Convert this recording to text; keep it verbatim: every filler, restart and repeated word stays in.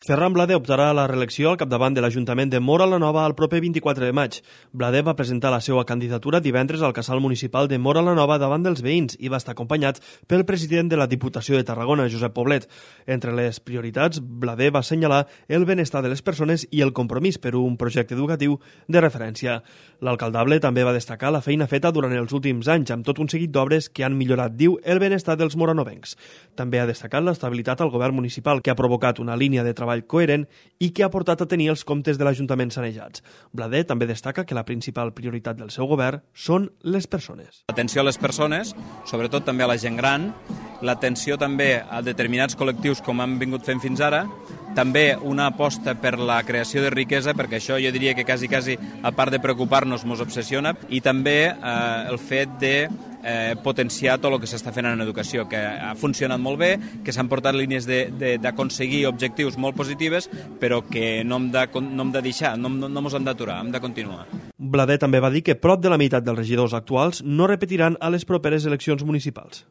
Ferran Bladé optarà a la reelecció al capdavant de l'Ajuntament de Móra la Nova el proper vint-i-quatre de maig. Bladé va presentar la seva candidatura divendres al casal municipal de Móra la Nova davant dels veïns i va estar acompanyat pel president de la Diputació de Tarragona, Josep Poblet. Entre les prioritats, Bladé va assenyalar el benestar de les persones i el compromís per un projecte educatiu de referència. L'alcaldable també va destacar la feina feta durant els últims anys amb tot un seguit d'obres que han millorat, diu, el benestar dels moranovencs. També ha destacat l'estabilitat al govern municipal, que ha provocat una línia de treball coherent i que ha portat a tenir els comptes de l'Ajuntament sanejats. Bladé també destaca que la principal prioritat del seu govern són les persones. L'atenció a les persones, sobretot també a la gent gran, l'atenció també a determinats col·lectius com han vingut fent fins ara, també una aposta per la creació de riquesa, perquè això jo diria que quasi, quasi, a part de preocupar-nos, ens obsessiona, i també eh, el fet de eh, potenciar tot el que s'està fent en educació, que ha funcionat molt bé, que s'han portat línies d'aconseguir objectius molt positives, però que no hem de, no hem de deixar, no, no, no ens hem d'aturar, hem de continuar. Bladé també va dir que prop de la meitat dels regidors actuals no repetiran a les properes eleccions municipals.